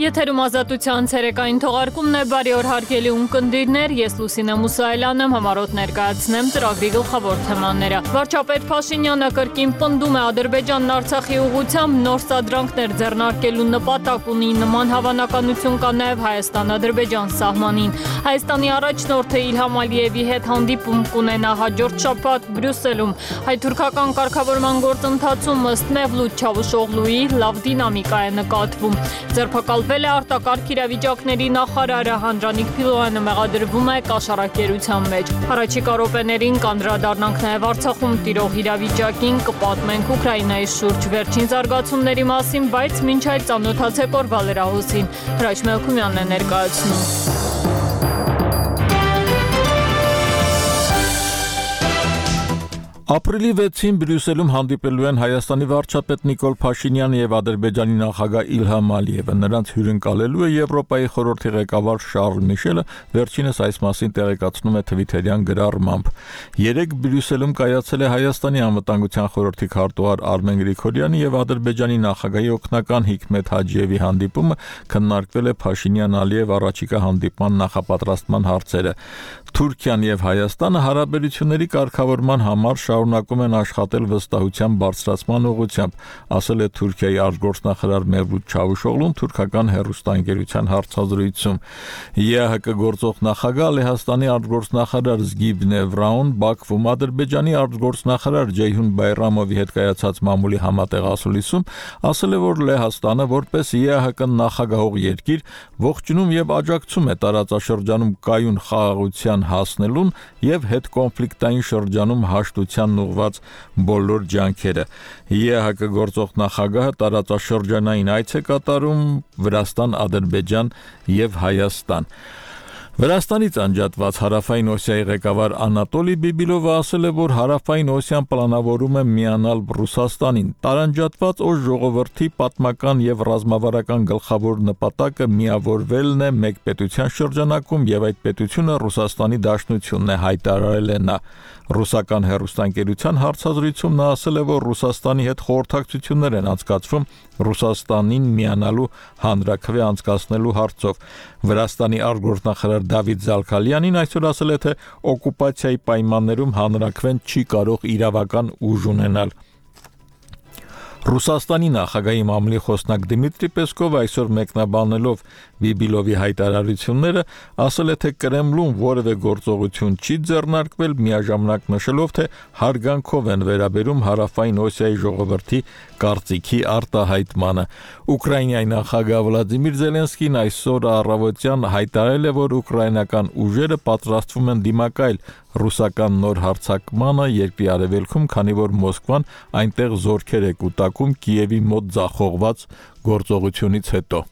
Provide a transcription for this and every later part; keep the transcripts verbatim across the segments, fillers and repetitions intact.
Եթերում ազատության ցերեկային թողարկումն է, բարի օր հարգելի ունկնդիրներ, ես Լուսինե Մուսայելյանն եմ, համառոտ ներկայացնեմ ծրագրի գլխավոր թեմաները։ Վարչապետ Փաշինյանը կրկին պնդում է Ադրբեջանն Արցախի ուղղությամբ նոր սադրանքներ ձեռնարկելու նպատակ ունի, նման հավանականություն կա նաև Հայաստան-Ադրբեջան սահմանին։ Հայաստանի առաջնորդը Իլհամ Ալիևի հետ հանդիպում կունենա հաջորդ շաբաթ Բրյուսելում։ Հայ-թուրքական կարգավորման գործընթացում ըստ Մևլութ Չավուշօղլուի լավ դինամիկա է նկատվում։ Ձերբակալվել է արտակարգ իրավիճակների նախարարը, Հանրանիկ Փիլոյանը մեղադրվում է կաշառակերության մեջ։ Առաջիկա րոպեներին կանդրադառնանք նաև Արցախում տիրող իրավիճակին, կպատմենք Ուկրաինայի շուրջ վերջին զարգացումների մասին, բայց մինչ այդ ծանոթացեք օրվա լրահոսին։ Հրաչ Մելքումյանն է ներկայացնում։ Ապրիլի վեցին Բրյուսելում հանդիպելու են Հայաստանի վարչապետ Նիկոլ Փաշինյանը եւ Ադրբեջանի նախագահ Իլհամ Ալիևը։ Նրանց հյուրընկալելու է Եվրոպայի խորհրդի ղեկավար Շարլ Միշելը, վերջինս այս մասին տեղեկացնում է Թվիթերյան գրառմամբ։ Երեկ Բրյուսելում կայացել է Հայաստանի անվտանգության խորհրդի քարտուղար Արմեն Գրիգորյանի եւ Ադրբեջանի նախագահի օգնական Հիկմետ Հաջիևի հանդիպումը, քննարկվել է Փաշինյան-Ալիև առաջիկա հանդիպման նախապատրաստման հարցերը։ Թուրքիան եւ Հայաստանը հարաբերությունների կարգավորման համար շարունակում են աշխատել վստահության բարձրացման ուղղությամբ, ասել է Թուրքիայի արտգործնախարար Մևլութ Չավուշօղլուն թուրքական հեռուստաընկերության հարցազրույցում։ ԵԱՀԿ գործող նախագահ Լեհաստանի արտգործնախարար Զգիբնե Վրաուն Բաքվում Ադրբեջանի արտգործնախարար Ջեյհուն Բայրամովի հետ կայացած մամուլի համատեղ ասուլիսում ասել է, որ Լեհաստանը որպես ԵԱՀԿ նախագահող երկիր ողջունում եւ աջակցում է տարածաշրջանում կայուն խաղաղության հասնելուն եւ հետկոնֆլիկտային շրջանում հաշտության ուղղված բոլոր ջանքերը։ ԵԱՀԿ գործող նախագահը տարածաշրջանային այց է կատարում Վրաստան, Ադրբեջան եւ Հայաստան։ Վրաստանից անջատված Հարավային Օսիայի ղեկավար Անատոլի Բիբիլովը ասել է, որ Հարավային Օսիան պլանավորում է միանալ Ռուսաստանին։ Տարանջատված օր ժողովրդի պատմական եւ ռազմավարական գլխավոր նպատակը միավորվելն է մեկ պետության շրջանակում եւ այդ պետությունը Ռուսաստանի Դաշնությունն է, հայտարարել է նա։ Ռուսական հեռուստաընկերության հարցազրույցում նա ասել է, որ Ռուսաստանի հետ խորհրդակցություններ են անցկացվում Ռուսաստանին միանալու հանրաքվե անցկացնելու հարցով։ Վրաստանի արտգործնախարար Դավիթ Զալքալյանին այսօր ասել է, թե օկուպացիայի պայմաններում հանրաքվեն չի կարող իրավական ուժ ունենալ։ Ռուսաստանի նախագահի մամուլի խոսնակ Դմիտրի Պեսկովը այսօր մեկնաբանելով Բիբիլովի հայտարարությունները ասել է, թե Կրեմլուն որևէ գործողություն չի ձեռնարկվել, միաժամանակ նշելով, թե հարգանքով են վերաբերում Հարավային Օսիայի ժողովրդի կարծիքի արտահայտմանը։ Ուկրաինայի նախագահ Վլադիմիր Զելենսկին այսօր առավոտյան հայտարարել է, որ ուկրաինական ուժերը պատրաստվում են դիմակայել ռուսական նոր հարձակմանը երկրի արևելքում, քանի որ Մոսկվան այնտեղ զորքեր է կուտակում Կիևի մոտ ձախողված գործողությունից հետո։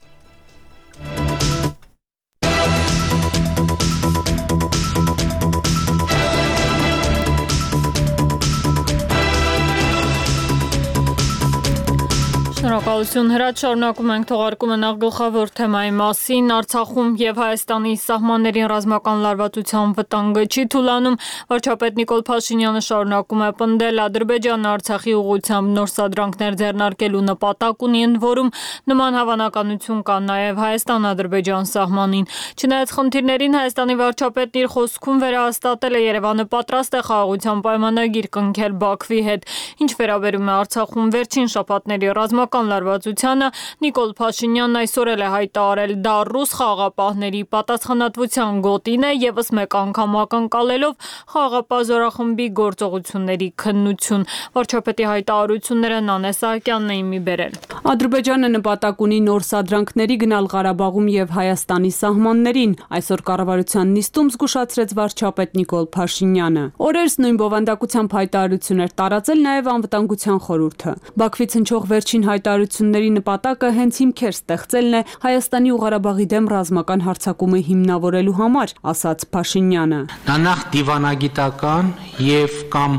Շնորհակալություն Հրաչ, շարունակում ենք թողարկումը նախ գլխավոր թեմայի մասին։ Արցախում եւ Հայաստանի սահմաններին ռազմական լարվածության վտանգը չի թուլանում։ Վարչապետ Նիկոլ Փաշինյանը շարունակում է պնդել Ադրբեջանը Արցախի ուղղությամբ նոր սադրանքներ ձեռնարկելու նպատակ ունի, ընդ որում նման հավանականություն կա նաեւ Հայաստան-Ադրբեջան սահմանին։ Չնայած խնդիրներին Հայաստանի վարչապետն իր խոսքում վերահաստատել է Երևանը պատրաստ է խաղաղության պայմանագիր կնքել Բաքվի հետ։ Ինչ վերաբերում է Արցախում վերջին շաբաթների ռազմական լարվածությանը, Նիկոլ Փաշինյանն այսօր էլ է հայտարարել, դա ռուս խաղաղապահների պատասխանատվության գոտին է, եւս մեկ անգամ ակնկալելով խաղաղապահ զորախմբի գործողությունների քննություն։ Վարչապետի հայտարարությունները Նանե Սահակյանն էին մի բերել։ Ադրբեջանը նպատակ ունի նոր սադրանքների գնալ Ղարաբաղում եւ Հայաստանի սահմաններին, այսօր կառավարության նիստում զգուշացրեց վարչապետ Նիկոլ Փաշինյանը։ Օրերս նույն բովանդակությամբ հայտարարություն էր տարածել նաեւ անվտանգության խորհուրդը։ Բաքվից հնչող վերջին հայտարարությունների նպատակը հենց հիմքեր ստեղծելն է Հայաստանի ու Ղարաբաղի դեմ ռազմական հարձակումը հիմնավորելու համար, ասաց Փաշինյանը։ Դա նախ դիվանագիտական եւ կամ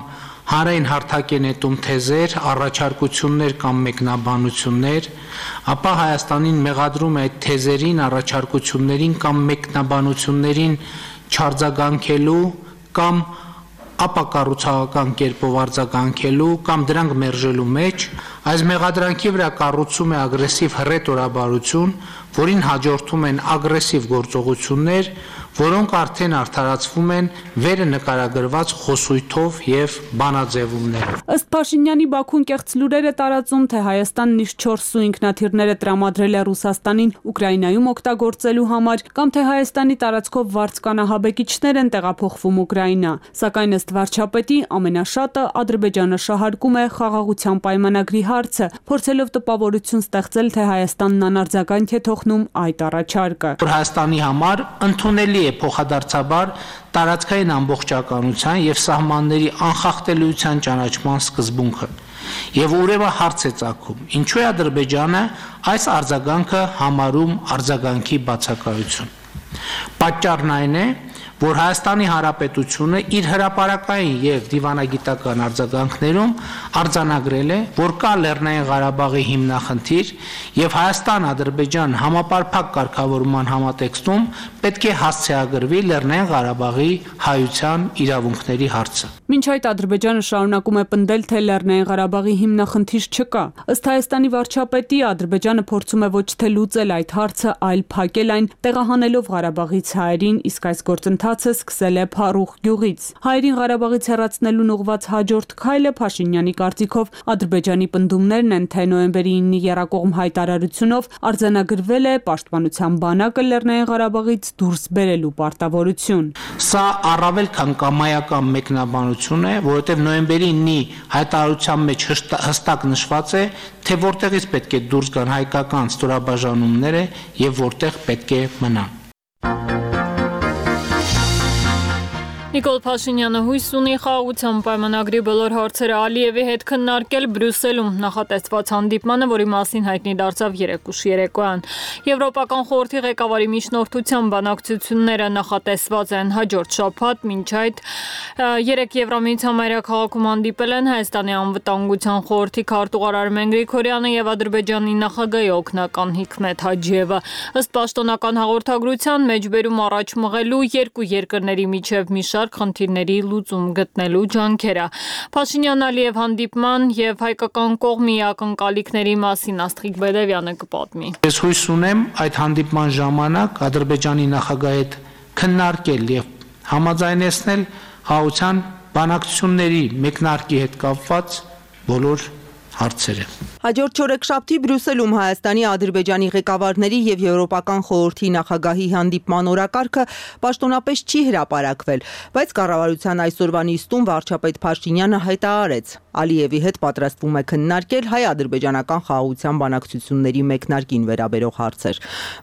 հանրային հարթակ է նետում թեզեր, առաջարկություններ կամ մեկնաբանություններ, ապա Հայաստանին մեղադրում է այդ թեզերին, առաջարկություններին կամ մեկնաբանություններին չարձագանքելու կամ ապակառուցողական կերպով արձագանքելու կամ դրանք մերժելու մեջ Այս մեղադրանքի վրա կառուցում է ագրեսիվ հռետորաբարություն, որին հաջորդում են ագրեսիվ գործողություններ, որոնք արդեն արդարացվում են վերը նկարագրված խոսույթով եւ բանաձևումներով։ Ըստ Փաշինյանի Բաքուն կեղծ լուրեր է տարածում, թե Հայաստանն իր չորս սու ինքնաթիռները տրամադրել է Ռուսաստանին Ուկրաինայում օգտագործելու համար, կամ թե Հայաստանի տարածքով վարձկանահաբեկիչներ են տեղափոխվում Ուկրաինա։ Սակայն ըստ վարչապետի ամենաշատը Ադրբեջանը շահարկում է խաղաղության պայմանագրի հարցը, փորձելով տպավորություն ստեղծել, թե Հայաստանն անարձագանք է թողնում այդ առաջարկը։ Հայաստանի համար ընդունելի է փոխադարձաբար տարածքային ամբողջականության եւ սահմանների անխախտելիության ճանաչման սկզբունքը։ Եվ ուրեմն հարց է ծագում. ինչու է Ադրբեջանը այս արձագանքը համարում արձագանքի բացակայություն։ Պատճառն այն է, որ Հայաստանի Հանրապետությունը իր հրապարակային եւ դիվանագիտական արձագանքներում արձանագրել է, որ կա Լեռնային Ղարաբաղի հիմնախնդիր եւ Հայաստան-Ադրբեջան համապարփակ կարգավորման համատեքստում պետք է հասցեագրվի Լեռնային Ղարաբաղի հայության իրավունքների հարցը։ Մինչ այդ Ադրբեջանը շարունակում է պնդել, թե Լեռնային Ղարաբաղի հիմնախնդիր չկա։ Ըստ Հայաստանի վարչապետի, Ադրբեջանը փորձում է ոչ թե լուծել այդ հարցը, այլ փակել այն, տեղահանելով Ղարաբաղից հայերին, իսկ այս գործընթացը սկսել է Փարուխ գյուղից։ Հայերին Ղարաբաղից հեռացնելուն ուղղված հաջորդ քայլը Փաշինյանի կարծիքով Ադրբեջանի պնդումներն են, թե նոյեմբերի իննի եռակողմ հայտարարությունով արձանագրվել է պաշտպանության բանակը Լեռնային Ղարաբաղից դուրս բերելու պարտավորություն։ Սա առավել քան կամայական մեկնաբանություն է, որովհետև նոյեմբերի իննի հայտարարության մեջ հստակ նշված է, թե որտեղից պետք է դուրս գան հայկական ստորաբաժանումները եւ որտեղ պետք է մնան։ Նիկոլ Փաշինյանը հույս ունի խաղաղության պայմանագրի բոլոր հարցերը Ալիևի հետ քննարկել Բրյուսելում նախատեսված հանդիպմանը, որի մասին հայտնի դարձավ երեկուշ երեկոյան։ Եվրոպական խորհրդի ղեկավարի միջնորդությամբ բանակցությունները նախատեսված են հաջորդ շաբաթ, մինչ այդ երեք Եվրամիության մայրաքաղաքում հանդիպել են Հայաստանի անվտանգության խորհրդի քարտուղար Արմեն Գրիգորյանը եւ Ադրբեջանի նախագահի օգնական Հիկմետ Հաջիևը։ Ըստ պաշտոնական հաղորդագրության մեջբերում առաջ մղելու երկու երկրների միջև մի խնդիրների լուծում գտնելու ջանքերը։ Փաշինյան-Ալիև հանդիպման եւ հայկական կողմի ակնկալիքների մասին Աստղիկ Բեդևյանը կպատմի։ Ես հույս ունեմ այդ հանդիպման ժամանակ Ադրբեջանի նախագահի հետ քննարկել եւ համաձայնեցնել խաղաղության բանակցությունների մեկնարկի հետ կապված բոլոր հարցերը։ Հաջորդ չորեքշաբթի Բրյուսելում Հայաստանի, Ադրբեջանի ղեկավարների եւ Եվրոպական խորհրդի նախագահի հանդիպման օրակարգը պաշտոնապես չի հրապարակվել, բայց կառավարության այսօրվա նիստում վարչապետ Փաշինյանը հայտարարեց. Ալիևի հետ պատրաստվում է քննարկել հայ-ադրբեջանական խաղաղության բանակցությունների մեկնարկին վերաբերող հարցեր։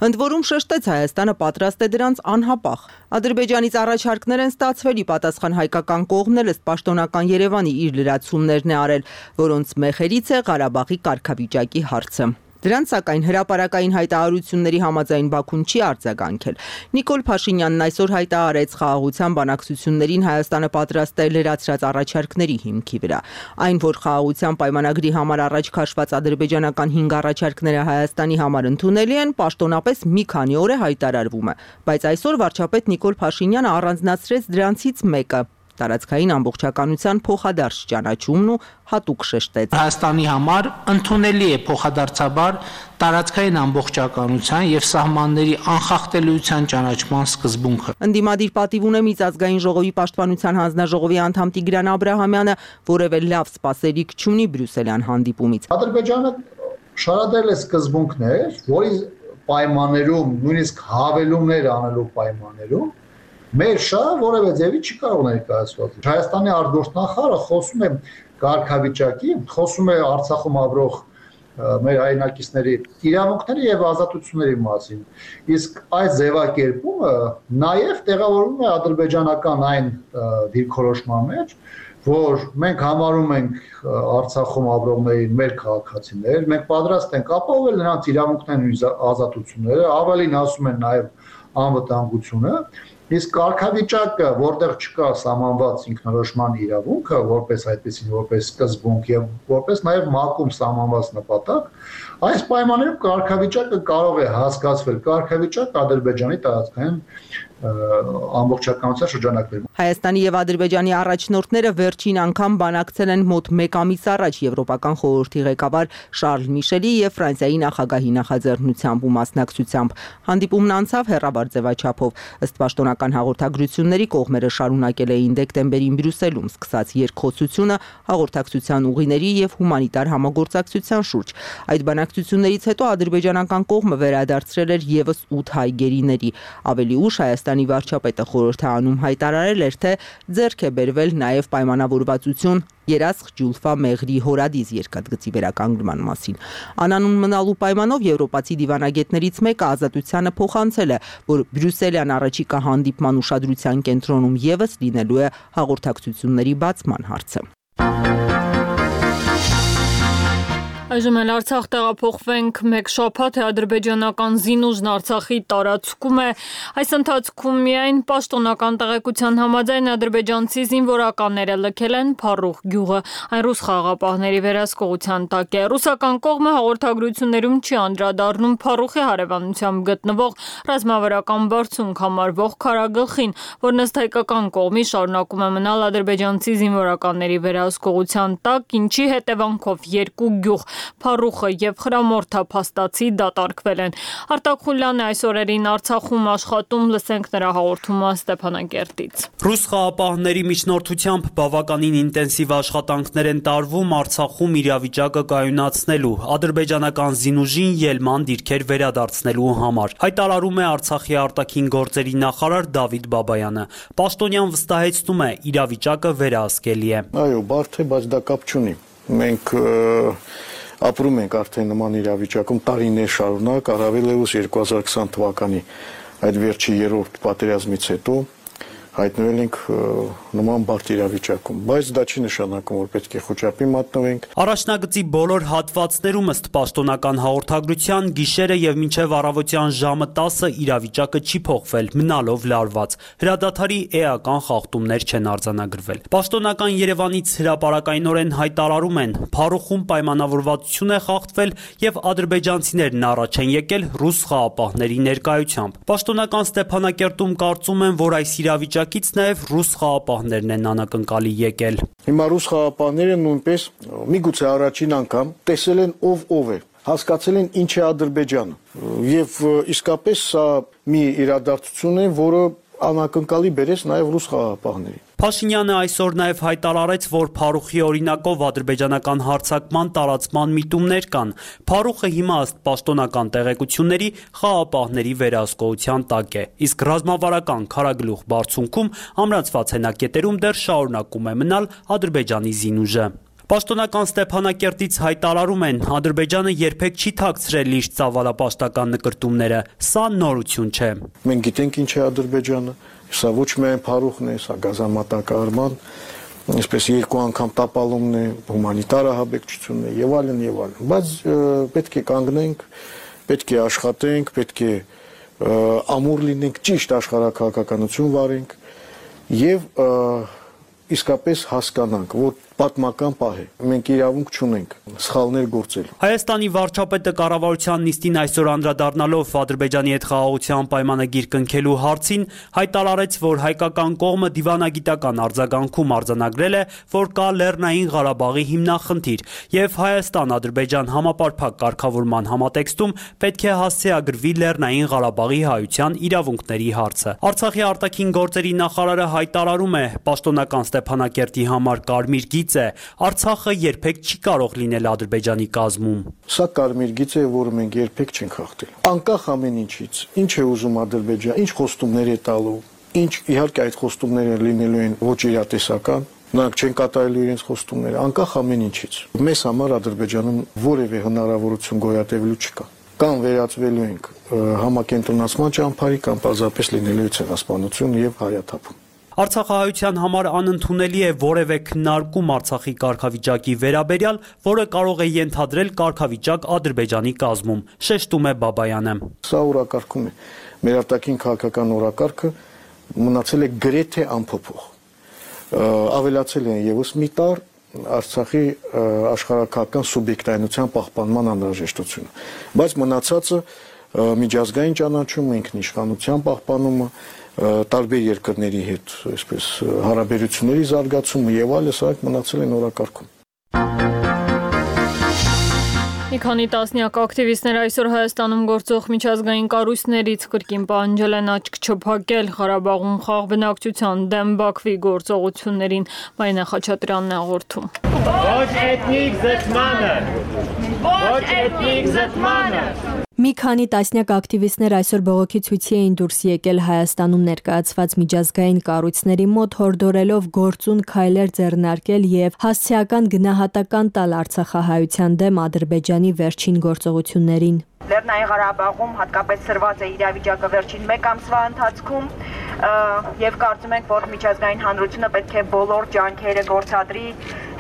Ընդ որում շեշտեց Հայաստանը պատրաստ է դրանց անհապաղ։ Ադրբեջանից առաջարկներ են ստացվել, ի պատասխան հայկական կողմն էլ ըստ պաշտոնական Երևանի իր լրացումներն է արել, որոնց մեխերից է Ղարաբաղի կարգավիճակի հարցը։ Դրանց սակայն հրապարակային հայտարարությունների համաձայն Բաքուն չի արձագանքել։ Նիկոլ Փաշինյանն այսօր հայտարարեց խաղաղության բանակցություններին Հայաստանը պատրաստ է լրացրած առաջարկների հիմքի վրա։ Այն, որ խաղաղության պայմանագրի համար առաջ քաշված ադրբեջանական հինգ առաջարկները Հայաստանի համար ընդունելի են, պաշտոնապես մի քանի օր է հայտարարվում է, բայց այսօր վարչապետ Նիկոլ Փաշինյանը առանձնացրեց դրանցից մեկը՝ տարածքային ամբողջականության փոխադարձ ճանաչումն ու հատուկ շեշտեց. Հայաստանի համար ընդունելի է փոխադարձաբար տարածքային ամբողջականության եւ սահմանների անխախտելիության ճանաչման սկզբունքը։ Ընդդիմադիր պատիվ ունե Միջազգային ժողովի պաշտպանության հանձնաժողովի անդամ Տիգրան Աբրահամյանը, որևէ լավ սպասելիք չունի Բրյուսելյան հանդիպումից։ Ադրբեջանը շարադրել է սկզբունքներ, որի պայմաններում, նույնիսկ հավելումներ անելու պայմաններում մեր շահ որևէ ձևի չի կարող ներկայացված։ Հայաստանի արտգործնախարարը խոսում է կարգավիճակի, խոսում է Արցախում ապրող մեր հայրենակիցների իրավունքների եւ ազատությունների մասին։ Իսկ այս ձևակերպումը նաեւ տեղավորվում է ադրբեջանական այն դիրքորոշման մեջ, որ մենք համարում ենք Արցախում ապրողներին մեր քաղաքացիներ, մենք պատրաստ ենք ապահովել նրանց իրավունքներն ու ազատությունները, ավելին ասում են նաեւ անվտանգությունը, Իսկ կարգավիճակը, որտեղ չկա սահմանված ինքնորոշման իրավունքը, որպես այդպեսին, որպես սկզբունք եւ որպես նաեւ ՄԱԿ-ում սահմանված նպատակ, այս պայմաններում կարգավիճակը կարող է հասկացվել կարգավիճակ Ադրբեջանի տարածքային ամբողջականության շրջանակներում։ Հայաստանի եւ Ադրբեջանի առաջնորդները վերջին անգամ բանակցել են մոտ մեկ ամիս առաջ Եվրոպական խորհրդի ղեկավար Շարլ Միշելի եւ Ֆրանսիայի նախագահի նախաձեռնությամբ ու մասնակցությամբ։ Հանդիպումն անցավ հեռաբար ձևաչափով։ Ըստ պաշտոնական հաղորդագրությունների կողմերը շարունակել էին դեկտեմբերին Բրյուսելում սկսած երկխոսությունը հաղորդակցության ուղիների եւ հումանիտար համագործակցության շուրջ։ Այդ բանակցություններից հետո ադրբեջանական կողմը վերադարձրել էր եւս ութ հայ գերիների։ Ավելի ուշ Հայաստանի վարչապետը խորհրդարանում հայտարարել էր, թե ձեռք է բերվել նաև պայմանավորվածություն Երասխ Ջուլֆա Մեղրի հորադիս երկաթգծի վերականգնման մասին։ Անանուն մնալու պայմանով եվրոպացի դիվանագետներից մեկը Ազատությանը փոխանցել է, որ Բրյուսելյան առաջիկա հանդիպման ուշադրության կենտրոնում եւս լինելու է հաղորդակցությունների բացման հարցը։ Այժմ էլ Արցախ տեղափոխվենք մեկ շաբաթ է ադրբեջանական զինուժն Արցախի տարածքում է։ Այս ընթացքում միայն պաշտոնական տեղեկության համաձայն ադրբեջանցի զինվորականները լքել են Փառուխ գյուղը, այն ռուս խաղաղապահների վերահսկողության տակ է։ Ռուսական կողմը հաղորդագրություններում չի անդրադառնում Փառուխի հարևանությամբ գտնվող ռազմավարական բարձունք համարվող քարագլխին, որն ըստ հայկական կողմի շարունակում է մնալ ադրբեջանցի զինվորականների վերահսկողության տակ, ինչի հետևանքով երկու գյուղ Փառուխը եւ Խրամորթա փաստացի դատարկվել են։ Արտակ Խուլյանը այս օրերին Արցախում աշխատում, լսենք նրա հաղորդումը Ստեփանակերտից։ Ռուս խաղաղապահների միջնորդությամբ բավականին ինտենսիվ աշխատանքներ են տարվում Արցախում իրավիճակը կայունացնելու, ադրբեջանական զինուժին ելման դիրքեր վերադարձնելու համար։ Հայտարարում է Արցախի արտաքին գործերի նախարար Դավիթ Բաբայանը։ Պաշտոնյան վստահեցնում է, իրավիճակը վերահսկելի է։ Այո, բարդ է, բայց դա կապ չունի։ Մենք ապրում ենք արդեն նման իրավիճակում տարիներ շարունակ, առավել ևս երկու հազար քսան թվականի այդ վերջի երրորդ պատերազմից հետո հայտնվել ենք նման բարդ իրավիճակում, բայց դա չի նշանակում, որ պետք է խոճապի մատնվենք։ Առաջնագծի բոլոր հատվածներում ըստ պաշտոնական հաղորդագրության գիշերը եւ մինչեւ առավոտյան ժամը տասը իրավիճակը չի փոխվել, մնալով լարված։ Հրադադարի էական խախտումներ չեն արձանագրվել։ Պաշտոնական Երևանից հրապարակայնորեն հայտարարում են, Փառուխում պայմանավորվածություն է խախտվել եւ ադրբեջանցիներն առաջ են եկել ռուս խաղաղապահների ներկայությամբ։ Պաշտոնական Ստեփանակերտում կարծում են, որ այս իրավիճակը Նաև ռուս խաղաղապահներն են անակնկալի եկել։ Հիմա ռուս խաղաղապահները նույնպես միգուցե առաջին անգամ տեսել են ով ով է, հասկացել են ինչ է Ադրբեջանը։ Եվ իսկապես սա մի իրադարձություն է, որը անակնկալի բերեց նաև ռուս խաղաղապահներին։ Փաշինյանը այսօր նաև հայտարարեց, որ Փառուխի օրինակով ադրբեջանական հարձակման տարածման միտումներ կան։ Փառուխը հիմա ըստ պաշտոնական տեղեկությունների խաղաղապահների վերահսկողության տակ է, իսկ ռազմավարական քարագլուխ բարձունքում ամրացված հենակետերում դեռ շարունակում է մնալ Ադրբեջանի զինուժը։ Պաշտոնական Ստեփանակերտից հայտարարում են, Ադրբեջանը երբեք չի թաքցրել իր ծավալապաշտական նկրտումները, սա նորություն չէ։ Մենք գիտենք ինչ է Ադրբեջանը, սա ոչ միայն Փառուխն է, սա գազամատակարարման, այսպես երկու անգամ տապալումն է, հումանիտար ահաբեկչությունն է եւ այլն եւ այլն։ Բայց պետք է կանգնենք, պետք է աշխատենք, պետք է ամուր լինենք, ճիշտ աշխարհաքաղաքականություն վարենք եւ իսկապես հասկանանք, որ պատմական պահ է։ Մենք իրավունք չունենք սխալներ գործելու։ Հայաստանի վարչապետը կառավարության նիստին այսօր անդրադառնալով Ադրբեջանի հետ խաղաղության պայմանագիր կնքելու հարցին հայտարարեց, որ հայկական կողմը դիվանագիտական արձագանքում արձանագրել է, որ կա Լեռնային Ղարաբաղի հիմնախնդիր, եւ Հայաստան-Ադրբեջան համապարփակ կարգավորման համատեքստում պետք է հասցեագրվի Լեռնային Ղարաբաղի հայության իրավունքների հարցը։ Արցախի արտաքին գործերի նախարարը հայտարարում է, պաշտոնական Ստեփանակերտի համար կարմիր գիծ է, Արցախը երբեք չի կարող լինել Ադրբեջանի կազմում։ Սա կարմիր գիծ է, որը մենք երբեք չենք խախտել։ Անկախ ամեն ինչից, ինչ է ուզում Ադրբեջանը, ինչ խոստումներ է տալու, ինչ իհարկե այդ խոստումները լինելու են ոչ իրատեսական, նրանք չեն կատարելու իրենց խոստումները, անկախ ամեն ինչից։ Մեզ համար Ադրբեջանում որևէ հնարավորություն գոյատևելու չկա։ Կամ վերածվելու ենք համակենտրոնացման ճամփարի, կամ պարզապես լինելու է ցեղասպանություն եւ հայաթափում։ Արցախահայության համար անընդունելի է որևէ քննարկում Արցախի կարգավիճակի վերաբերյալ, որը կարող է ենթադրել կարգավիճակ Ադրբեջանի կազմում, շեշտում է Բաբայանը։ Սա օրակարգում է։ Մեր արտաքին քաղաքական օրակարգը մնացել է գրեթե անփոփոխ։ Ավելացել են եւս մի տար Արցախի աշխարհակական սուբյեկտայնության պահպանման անհրաժեշտությունը, բայց մնացածը միջազգային ճանաչումը, ինքնիշխանության պահպանումը, տարբեր երկրների հետ, այսպես հարաբերությունների զարգացումը եւ այլն, սա մնացել են օրակարգում։ Մի քանի տասնյակ ակտիվիստներ այսօր Հայաստանում գործող միջազգային կառույցներից կրկին պահանջել են աչք չփակել Ղարաբաղում խաղ բնակչության դեմ Բաքվի գործողություններին, Մարինա Խաչատրյանն է հաղորդում։ Ոչ էթնիկ զտմանը։ Ոչ էթնիկ զտմանը։ Մի քանի տասնյակ ակտիվիստներ այսօր բողոքի ցույցի էին դուրս եկել Հայաստանում ներկայացված միջազգային կառույցների մոտ, հորդորելով գործուն քայլեր ձեռնարկել եւ հասցեական գնահատական տալ Արցախահայության դեմ Ադրբեջանի վերջին գործողություններին։ Լեռնային Ղարաբաղում հատկապես սրված է իրավիճակը վերջին մեկ ամսվա ընթացքում եւ կարծում ենք, որ միջազգային հանրությունը պետք է բոլոր ջանքերը գործադրի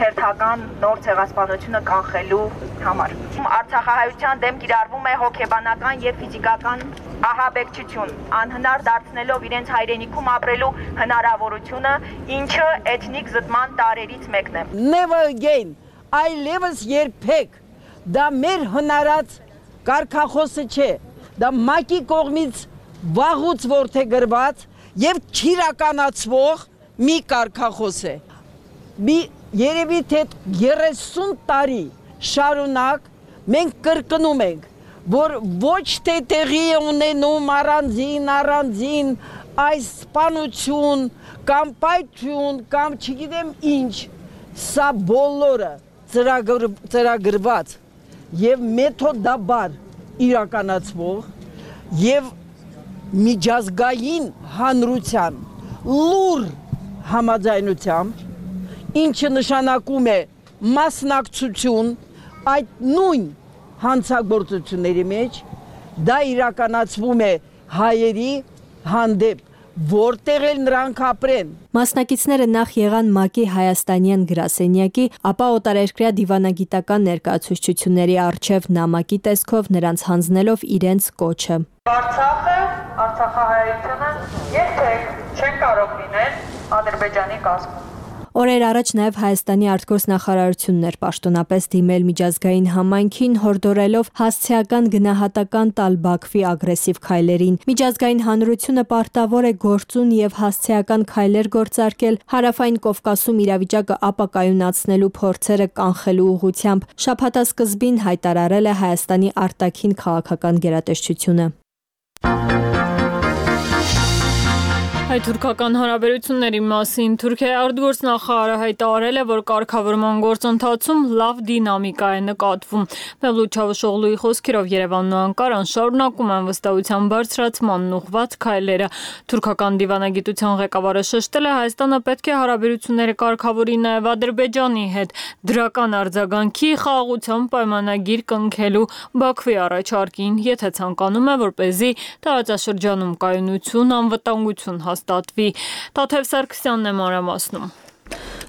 հերթական նոր ցեղասպանությունը կանխելու համար։ Արցախահայության դեմ կիրառվում է հոգեբանական եւ ֆիզիկական ահաբեկչություն, անհնար դարձնելով իրենց հայրենիքում ապրելու հնարավորությունը, ինչը էթնիկ զտման տարերից մեկն է։ Never again, այլևս երբեք, դա մեր հնարած կարգախոսը չէ, դա ՄԱԿ-ի կողմից վաղուց որդեգրված եւ չիրականացվող մի կարգախոս է։ Մի երևի թե երեսուն տարի շարունակ մենք կրկնում ենք, որ ոչ թե տեղի է ունենում առանձին առանձին այս սպանություն կամ պայթյուն կամ չգիտեմ ինչ, սա բոլորը ծրագրված եւ մեթոդաբար իրականացվող եւ միջազգային հանրության լուր համաձայնությամբ, ինչը նշանակում է մասնակցություն այդ նույն հանցագործությունների մեջ, դա իրականացվում է հայերի հանդեպ, որտեղ էլ նրանք ապրեն։ Մասնակիցները նախ եղան ՄԱԿ-ի հայաստանյան գրասենյակի, ապա օտարերկրյա դիվանագիտական ներկայացուցչությունների առջև նամակի տեսքով նրանց հանձնելով իրենց կոչը։ Արցախը, Արցախահայությունը երբեք չեն կարող լինել Ադրբեջանի կազմում։ Օրեր առաջ նաև Հայաստանի արտգործնախարարությունն էր պաշտոնապես դիմել միջազգային համայնքին, հորդորելով հասցեական գնահատական տալ Բաքվի ագրեսիվ քայլերին։ Միջազգային հանրությունը պարտավոր է գործուն եւ հասցեական քայլեր գործարկել Հարավային Կովկասում իրավիճակը ապակայունացնելու փորձերը կանխելու ուղղությամբ, շաբաթասկզբին հայտարարել է Հայաստանի արտաքին քաղաքական գերատեսչությունը։ Հայ-թուրքական հարաբերությունների մասին Թուրքիայի արտգործնախարարը հայտարարել է, որ կարգավորման գործընթացում լավ դինամիկա է նկատվում։ Մևլութ Չավուշօղլուի խոսքերով Երևանն ու Անկարան շարունակում են վստահության բարձրացմանն ուղղված քայլերը։ Թուրքական դիվանագիտության ղեկավարը շեշտել է, Հայաստանը պետք է հարաբերությունները կարգավորի նաև Ադրբեջանի հետ, դրական արձագանքի խաղաղության պայմանագիր կնքելու Բաքվի առաջարկին, եթե ցանկանում է, որպեսզի տարածաշրջանում կայունություն, անվտանգություն հաստատվի։ Թաթև Սարգսյանն է մանրամասնում։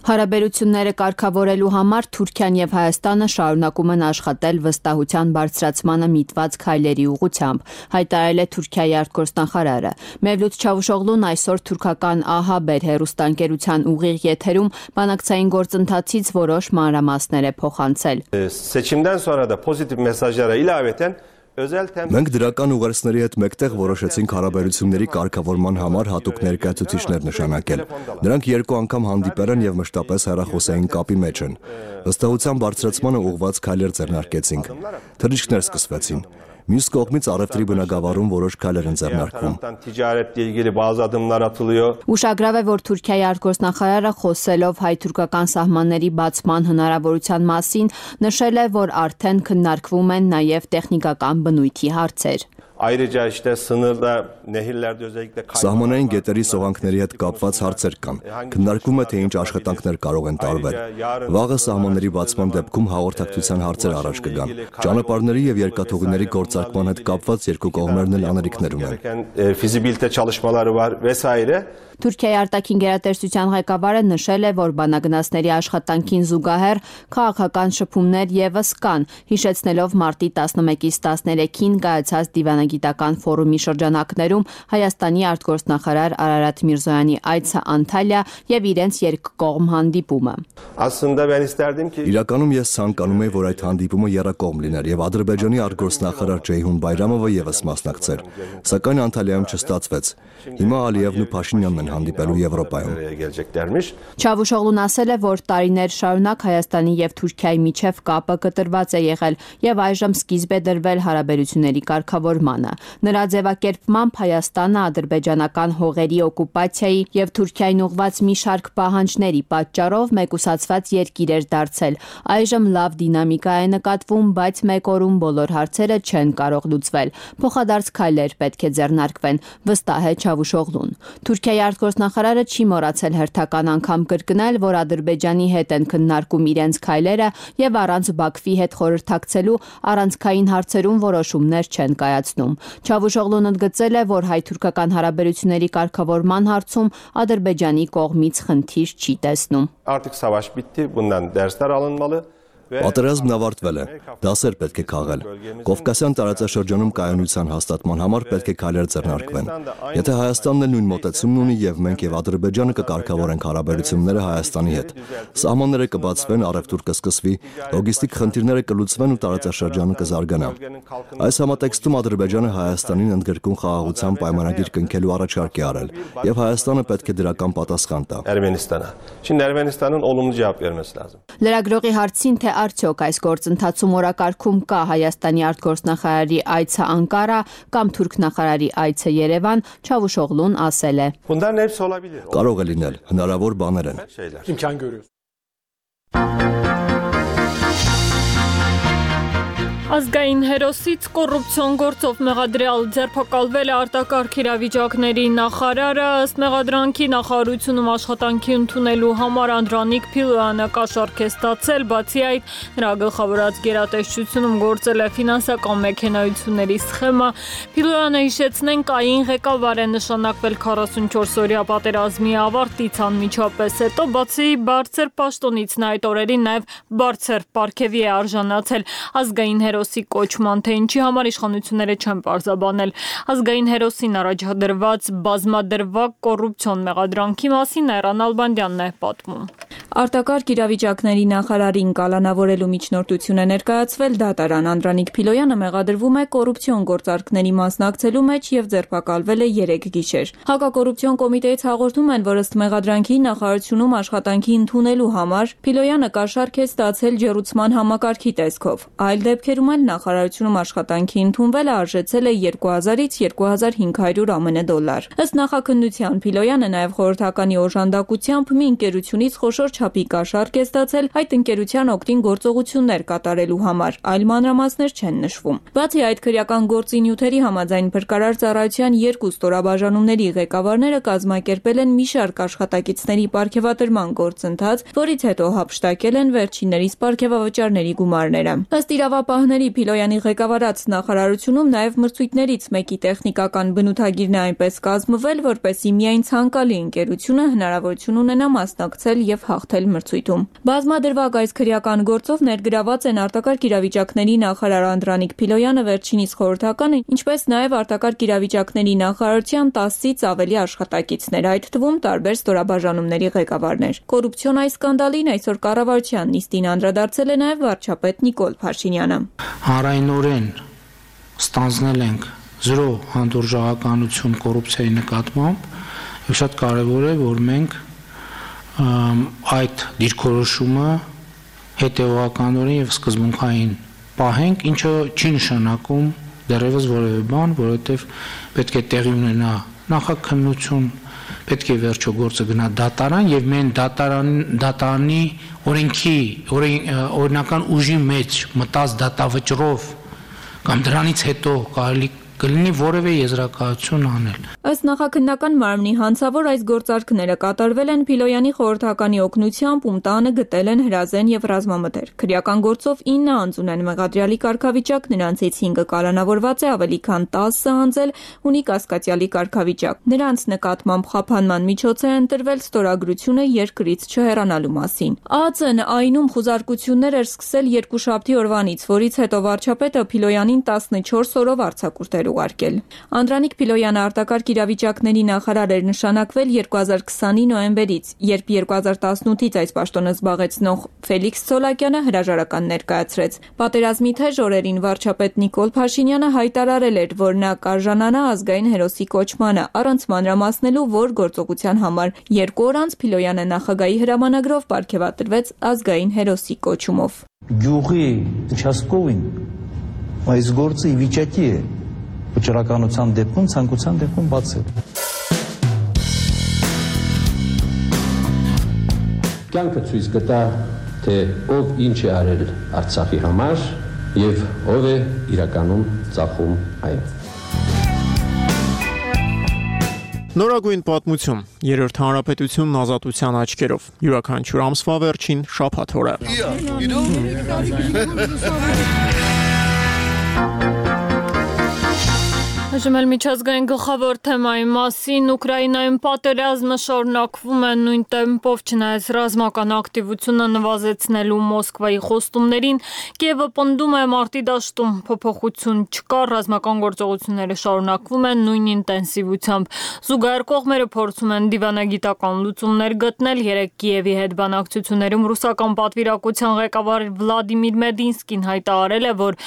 Հարաբերությունները կարգավորելու համար Թուրքիան եւ Հայաստանը շարունակում են աշխատել վստահության բարձրացմանը միտված քայլերի ուղղությամբ, հայտարարել է Թուրքիայի արտգործնախարարը։ Մևլութ Չավուշօղլուն այսօր թուրքական ԱՀԲ հեռուստաընկերության ուղիղ եթերում բանակցային գործընթացից որոշ մանրամասներ է փոխանցել։ Seçimden sonra da pozitif mesajlara ilaveten Մենք դրական ուղերձների հետ մեկտեղ որոշեցինք հարաբերությունների կարգավորման համար հատուկ ներկայացուցիչներ նշանակել։ Նրանք երկու անգամ հանդիպել են եւ մշտապես հեռախոսային կապի մեջ են։ Վստահության բարձրացմանը ուղղված քայլեր ձեռնարկեցինք։ Թռիչքներ սկսվեցին։ Մյուս կողմից առևտրի բնագավառում որոշ քայլեր են ձեռնարկվում։ Ուշագրավ է, որ Թուրքիայի արտգործնախարարը խոսելով հայ-թուրքական սահմանների բացման հնարավորության մասին նշել է, որ արդեն քննարկվում են նաև տեխնիկական բնույթի հարցեր։ Ayrıca işte sınırda nehirlerde özellikle Սահմանային գետերի սողանքների հետ կապված հարցեր կան։ Քննարկվում է, թե ինչ աշխատանքներ կարող են տարվել։ Վաղը սահմանների բացման դեպքում հաղորդակցության հարցեր առաջ կգան։ Ճանապարհների եւ երկաթուղիների գործարկման հետ կապված երկու կողմերն էլ անելիքներ ունեն։ Fizibilite çalışmaları var vesaire. Թուրքիայի արտաքին գերատեսչության ղեկավարը նշել է, որ բանագնացների աշխատանքին զուգահեռ քաղաքական շփումներ եւս կան, հիշեցնելով մարտի տասնմեկից տասներեքին կայացած դիվանագիտական դիվանագիտական ֆորումի շրջանակներում Հայաստանի արտգործնախարար Արարատ Միրզոյանի այցը Անտալիա եւ իրենց երկկողմ հանդիպումը։ Իրականում ես ցանկանում եմ, որ այդ հանդիպումը եռակողմ լիներ եւ Ադրբեջանի արտգործնախարար Ջեյհուն Բայրամովը եւս մասնակցեր, սակայն Անտալիայում չստացվեց։ Հիմա Ալիևն ու Փաշինյանն են հանդիպելու Եվրոպայում։ Չավուշօղլուն ասել է, որ տարիներ շարունակ Հայաստանի եւ Թուրքիայի միջև կապը կտրված է եղել եւ այժմ սկիզբ է դրվել հարաբերությունների կարգավորմանը։ Նրա ձևակերպմամբ Հայաստանը ադրբեջանական հողերի օկուպացիայի եւ Թուրքիային ուղղված մի շարք պահանջների պատճառով մեկուսացված երկիր էր դարձել։ Այժմ լավ դինամիկա է նկատվում, բայց մեկ օրում բոլոր հարցերը չեն կարող լուծվել։ Փոխադարձ քայլեր պետք է ձեռնարկվեն, վստահ է Չավուշօղլուն։ Թուրքիայի արտգործնախարարը չի մոռացել հերթական անգամ կրկնել, որ Ադրբեջանի հետ են քննարկում իրենց քայլերը եւ առանց Բաքվի հետ խորհրդակցելու առանցքային հարցերում որոշումներ չեն կայացնում։ Չավուշօղլուն ընդգծել է, որ հայ-թուրքական հարաբերությունների կարգավորման հարցում Ադրբեջանի կողմից խնդիր չի տեսնում։ Պատերազմն ավարտվել է, դասեր պետք է քաղել։ Կովկասյան տարածաշրջանում կայունության հաստատման համար պետք է քայլեր ձեռնարկվեն։ Եթե Հայաստանն էլ նույն մոտեցումն ունի եւ մենք եւ Ադրբեջանը կկարգավորենք հարաբերությունները Հայաստանի հետ, սահմանները կբացվեն, առևտուր կսկսվի, լոգիստիկ խնդիրները կլուծվեն ու տարածաշրջանը կզարգանա։ Այս համատեքստում Ադրբեջանը Հայաստանին ընդգրկուն խաղաղության պայմանագիր կնքելու առաջարկ է արել եւ Հայաստանը պետք է դրական պատասխան տա։ Լրագրողի հարցին, թե արդյոք այս գործընթացում օրակարգում կա Հայաստանի արտգործնախարարի այցը Անկարա կամ թուրք նախարարի այցը Երևան, Չավուշօղլուն ասել է. Կարող է լինել, հնարավոր բաներ են։ Ազգային հերոսից կոռուպցիոն գործով մեղադրյալ ձերբակալվել է արտակարգ իրավիճակների նախարարը, ըստ մեղադրանքի նախարարությունում աշխատանքի ընդունելու համար Անդրանիկ Փիլոյանը կաշառք է ստացել, բացի այդ նրա գլխավորած գերատեսչությունում գործել է ֆինանսական մեքենայությունների սխեմա։ Փիլոյանը, հիշեցնենք, ԱԻ-ին ղեկավար է նշանակվել քառասունչորս-օրյա պատերազմի ավարտից անմիջապես հետո, բացի բարձր պաշտոնից նա այդ օրերին նաև բարձր պարգևի է արժանացել։ Ազգային հերոս կոչման, թե ինչի համար իշխանությունները չեն պարզաբանել։ Ազգային հերոսին առաջադրված բազմադրվակ կոռուպցիոն մեղադրանքի մասին Այռան Ալբանդյանն է պատմում։ Արտակարգ իրավիճակների նախարարին կալանավորելու միջնորդություն է ներկայացվել դատարան։ Անդրանիկ Փիլոյանը մեղադրվում է կոռուպցիոն գործարքների մասնակցելու մեջ եւ ձերբակալվել է երեք գիշեր։ Հակակոռուպցիոն կոմիտեից հաղորդում են, որ ըստ մեղադրանքի նախարարությունում աշխատանքի ընդունելու համար Փիլոյանը կաշառք է ստացել ջեռուցման համակարգի տեսքով։ Այլ դեպքերում էլ նախարարությունում աշխատանքի ընդունվելը արժեցել է երկու հազարից երկու հազար հինգ հարյուր ԱՄՆ դոլար։ Ըստ նախաքննության Փիլոյանը նաև խորհրդականի օժանդակությամբ մի ընկերությունից խոշոր չափի կաշառք է ստացել այդ ընկերության օգտին գործողություններ կատարելու համար, այլ մանրամասներ չեն նշվում։ Բացի այդ, քրեական գործի նյութերի համաձայն փրկարար ծառայության երկու ստորաբաժանումների ղեկավարները կազմակերպել են մի շարք աշխատակիցների պարգևատրման գործընթաց, որից հետո հափշտակել են վերջիններիս պարգևավճարների գումարները։ Ըստ իրավապահների Փիլոյանի ղեկավարած նախարարությունում նաև մրցույթներից մեկի տեխնիկական բնութագիրն է այնպես կազմվել, որպեսզի միայն ցանկալի ընկերությունը հնարավորություն ունենա մասնակցել եւ հաղթել մրցույթում։ Բազմադրվակ այս քրեական գործով ներգրաված են արտակարգ իրավիճակների նախարար Անդրանիկ Փիլոյանը, վերջինիս խորհրդականը, ինչպես նաև արտակարգ իրավիճակների նախարարության տասից ավելի աշխատակիցներ, այդ թվում տարբեր ստորաբաժանումների ղեկավարներ։ Կոռուպցիոն այս սկանդալին այսօր կառավարության նիստին անդրադարձել է նաև վարչապետ Նիկոլ Փաշինյանը։ Հանրայնորեն ստանձնել ենք զրո հանդուրժողականություն կոռուպցիայի նկատմամբ եւ շատ կարեւոր է, որ մենք այդ դիրքորոշումը հետեւողականորեն եւ սկզբունքային պահենք, ինչը չի նշանակում դեռևս որևէ բան, որովհետեւ պետք է տեղի ունենա նախաքննություն, պետք է վերջո գործը գնա դատարան եւ մենք դատարան դատարանի օրենքի օրինական ուժի մեջ մտած դատավճռով կամ դրանից հետո կարելի կլինի որևէ եզրակացություն անել։ Ըստ նախաքննական մարմնի հանցավոր այս գործարքները կատարվել են Փիլոյանի խորհրդականի օգնությամբ, ում տանը գտել են հրազեն եւ ռազմամթեր։ Քրեական գործով ինը անձ ունեն մեղադրյալի կարգավիճակ, նրանցից հինգը կալանավորված է, ավելի քան տասը անձել ունի կասկածյալի կարգավիճակ։ Նրանց նկատմամբ խափանման միջոց է ընտրվել ստորագրությունը երկրից չհեռանալու մասին։ ԱԱԾ-ն ԱԻՆ-ում խուզարկություններ էր սկսել երկուշաբթի օրվանից, որից հետո վարչապետը Փիլոյանին տասնչորս օրով արձակուրդ էր ուղարկել։ Անդրանիկ Փիլոյանը արտակարգ իրավիճակների նախարար էր նշանակվել երկու հազար քսանի նոյեմբերից, երբ երկու հազար տասնութից այս պաշտոնը զբաղեցնող Ֆելիքս Ցոլակյանը հրաժարական ներկայացրեց։ Պատերազմի թեժ օրերին վարչապետ Նիկոլ Փաշինյանը հայտարարել էր, որ նա կարժանանա ազգային հերոսի կոչմանը, առանց մանրամասնելու, որ գործողության համար երկու օր անց Փիլոյանը նախագահի հրամանագրով պարգևատրվեց ազգային հերոսի կոչումով։ Գյուղի участковին այս գործը ի վիճակի է վճռականության դեպքում, ցանկության դեպքում բացել։ Կյանքը ցույց կտա, թե ով ինչ է արել Արցախի համար եւ ով է իրականում ծախում այն։ Նորագույն պատմություն, երրորդ հանրապետությունն ազատության աչքերով, յուրաքանչյուր ամսվա վերջին շաբաթ օրը։ Այժմ էլ միջազգային գլխավոր թեմայի մասին Ուկրաինայում պատերազմը շարունակվում է նույն տեմպով, չնայած ռազմական ակտիվությունը նվազեցնելու Մոսկվայի խոստումներին, Կիևը պնդում է մարտի դաշտում փոփոխություն չկա, ռազմական գործողությունները շարունակվում են նույն ինտենսիվությամբ։ Զուգահեռ կողմերը փորձում են դիվանագիտական լուծումներ գտնել։ Երեկ Կիևի հետ բանակցություններում ռուսական պատվիրակության ղեկավար Վլադիմիր Մեդինսկին հայտարարել է, որ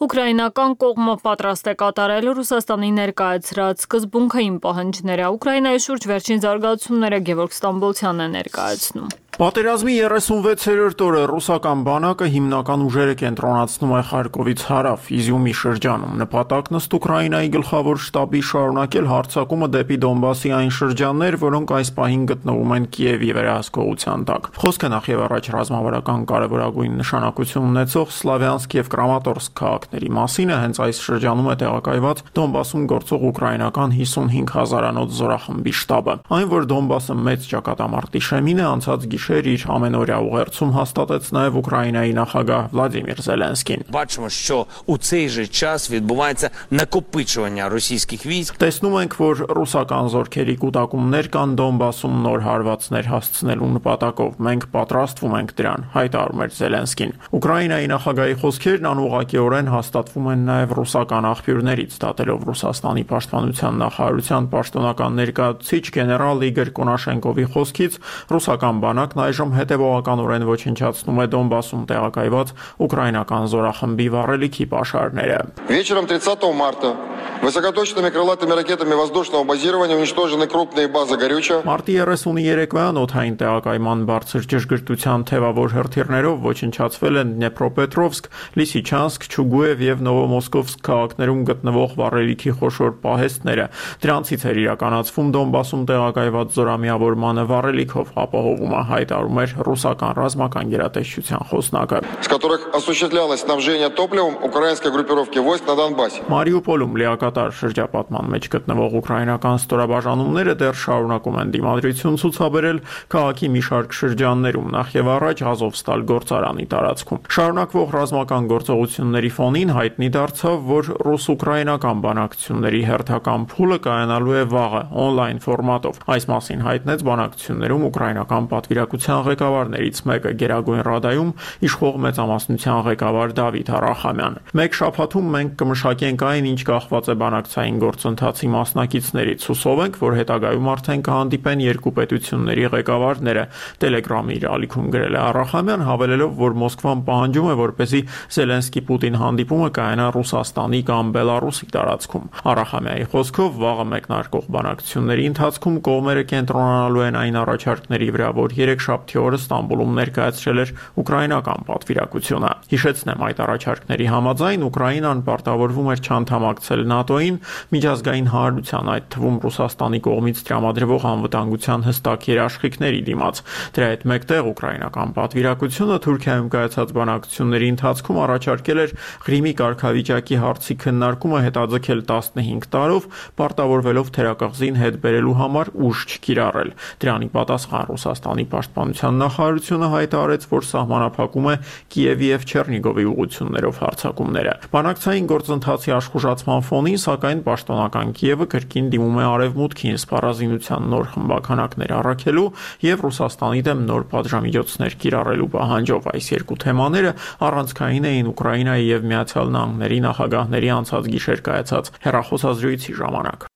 ուկրաինական կողմը պատրաստ է կատարել Ռուսաստանի ներկայացրած սկզբունքային պահանջները։ Ուկրաինայի շուրջ վերջին զարգացումները Գևորգ Ստամբոլցյանն է ներկայացնում։ Պատերազմի երեսունվեցերորդ օրը ռուսական բանակը հիմնական ուժերը կենտրոնացնում է Խարկովից հարավ, Իզյումի շրջանում։ Նպատակն ըստ Ուկրաինայի գլխավոր շտաբի շարունակել հարձակումը դեպի Դոնբասի այն շրջաններ, որոնք այս պահին գտնվում են Կիևի վերահսկողության տակ։ Խոսքը նախ եւ առաջ ռազմավարական կարևորագույն նշանակություն ունեցող Սլավյանսկ եւ Կրամատորսկ քաղաքների մասին է, հենց այս շրջանում է տեղակայված Դոնբասում գործող ուկրաինական հիսունհինգ հազարանոց զորախմբի շտաբը։ Այն, որ Դոնբասը մեծ ճակատամարտի շեմին է, անցած գիշեր իր ամենօրյա ուղերձում հաստատեց նաև Ուկրաինայի նախագահ Վլադիմիր Զելենսկին։ Бачимо, що у цей же час відбувається накопичування російських військ. Տեսնում ենք, որ ռուսական զորքերի կուտակումներ կան Դոնբասում նոր հարվածներ հասցնելու նպատակով։ Մենք պատրաստվում ենք դրան, հայտարարում էր Զելենսկին։ Ուկրաինայի նախագահի խոսքերն անուղղակիորեն հաստատվում են նաև ռուսական աղբյուրներից, դատելով Ռուսաստանի պաշտպանության նախարարության պաշտոնական ներկայացուցիչ գեներալ Իգոր Կոնաշենկովի խոսքից, ռուսական բանակն այժմ հետևողականորեն ոչնչացնում է Դոնբասում տեղակայված ուկրաինական զորախմբի վառելիքի պաշարները։ Вечером тридцатого марта высокоточными крылатыми ракетами воздушного базирования уничтожены крупные базы горючего. Մարտի երեսուններեքվան օդային տեղակայման բարձր ճշգրտության թևավոր հրթիռներով ոչնչացվել են Դնեպրոպետրովսկ, Լիսիչանսկ, Չուգուև եւ Նովոմոսկովսկ քաղաքներում գտնվող վառելիքի խոշոր պահեստները։ Դրանցից էր իրականացվում Դոնբասում տեղակայված զորամիավորմանը վառելիքով ապահովումը, հայտարարում էր ռուսական ռազմական գերատեսչության խոսնակը։ С которых осуществлялось снабжение топливом украинской группировки войск на Донбассе. Մարիուպոլում լիակատար շրջապատման մեջ գտնվող ուկրաինական ստորաբաժանումները դեռ շարունակում են դիմադրություն ցուցաբերել քաղաքի մի շարք շրջաններում, նախ եւ առաջ Ազովստալ գործարանի տարածքում։ Շարունակվող ռազմական գործողությունների ֆոնին հայտնի դարձավ, որ ռուս-ուկրաինական բանակցությունների հերթական փուլը կայանալու է վաղը օնլայն ֆորմատով։ Այս մասին հայտնեց բանակցություններում ուկրաինական պատվիրակության ղեկավարներից մեկը Գերագույն Ռադայում իշխող մեծամասնության ղեկավար Դավիթ Արախամյանը։ Մեկ շաբաթում մենք կմշակենք այն, ինչ կախված է բանակցային գործընթացի մասնակիցներից։ Հուսով ենք, որ հետագայում արդեն կհանդիպեն երկու պետությունների ղեկավարները, Telegram-ի իր ալիքում գրել է Արախամյան, հավելելով, որ Մոսկվան պահանջում է, որպեսզի Զելենսկի-Պուտին հանդիպումը կայանա Ռուսաստանի կամ Բելարուսի տարածքում։ Արախամյանի խոսքով վաղը մեկնարկող բանակցությունների ընթացքում կողմերը կենտրոնանալու են այն առաջարկների վրա, որ երեքշաբթի օրը Ստամբուլում ներկայացրել էր ուկրաինական պատվիրակությունը։ Հիշեցնեմ, այդ առաջարկների համաձայն Ուկրաինան պարտավորվում էր չանդամակցել ՆԱՏՕ-ին, միջազգային հանրության, այդ թվում Ռուսաստանի կողմից տրամադրվող անվտանգության հստակ երաշխիքների դիմաց։ Դրա հետ մեկտեղ ուկրաինական պատվիրակությունը Թուրքիայում կայացած բանակցությունների ընթացքում առաջարկել էր Ղրիմի կարգավիճակի հարցի քննարկումը հետաձգել տասնհինգ տարով, պարտավորվելով թերակղզին հետ բերելու համար ուժ չկիրառել։ Դրանի պատասխան Ռուսաստանի պաշտպանության նախարարությունը հայտարարեց, որ սահմանափակում է Կիևի եւ Չեռնիգովի ուղղություններով հարձակումները։ Բանակցային գործընթացի աշխուժացման ֆոնին Ռուսաստանին, սակայն պաշտոնական Կիևը կրկին դիմում է արևմուտքին սպառազինության նոր խմբականակներ առաքելու եւ Ռուսաստանի դեմ նոր պատժամիջոցներ կիրառելու պահանջով։ Այս երկու թեմաները առանցքային էին Ուկրաինայի եւ Միացյալ Նահանգների նախագահների անցած գիշեր կայացած հեռախոսազրույցի ժամանակ։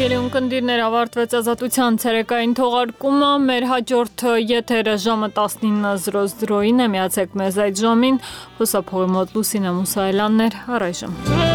Հարգելի ունկնդիրներ, ավարտվեց Ազատության ցերեկային թողարկումը։ Մեր հաջորդ եթերը ժամը տասնինը զրո զրոյին է, միացեք մեզ այդ ժամին։ Հուսափողի մոտ Լուսինե Մուսայելյանն էր, առայժմ։